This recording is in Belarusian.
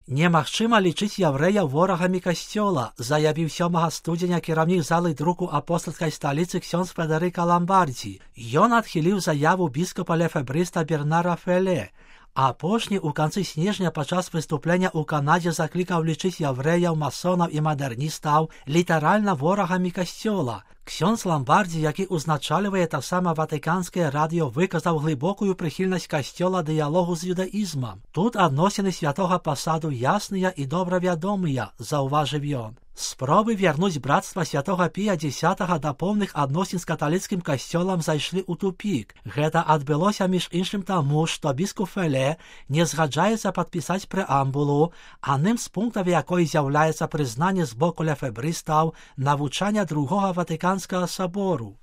Немагчыма лічыць яўрэяў ворагамі касцёла, заявіў 7 студзеня кіраўнік залы друку апостальскай сталіцы ксёндз Федэрыка Ламбардзі. Ён адхіліў заяву біскупа лефэбрыста Бернара Феле. Апошні ў канцы снежня падчас выступлення ў Канадзе заклікаў лічыць яўрэяў, масонаў і мадэрністаў літаральна ворагамі касцёла. Ксёндз Ламбардзі, які ўзначальвае таксама ватыканскае радыё, выказаў глыбокую прыхільнасць касцёла дыялогу з юдаізмам. Тут адносіны святога пасаду ясныя і добра вядомыя, заўважыў ён. Спробы вярнуць брацтва святога Пія X да поўных адносін з каталіцкім касцёлам зайшлі ў тупік. Гэта адбылося між іншым таму, што біскуп Феле не згаджаецца падпісаць прэамбулу, адным з пунктаў якой з'яўляецца прызнанне з боку лефэбрыстаў навучання другога Ватыканскага сабору.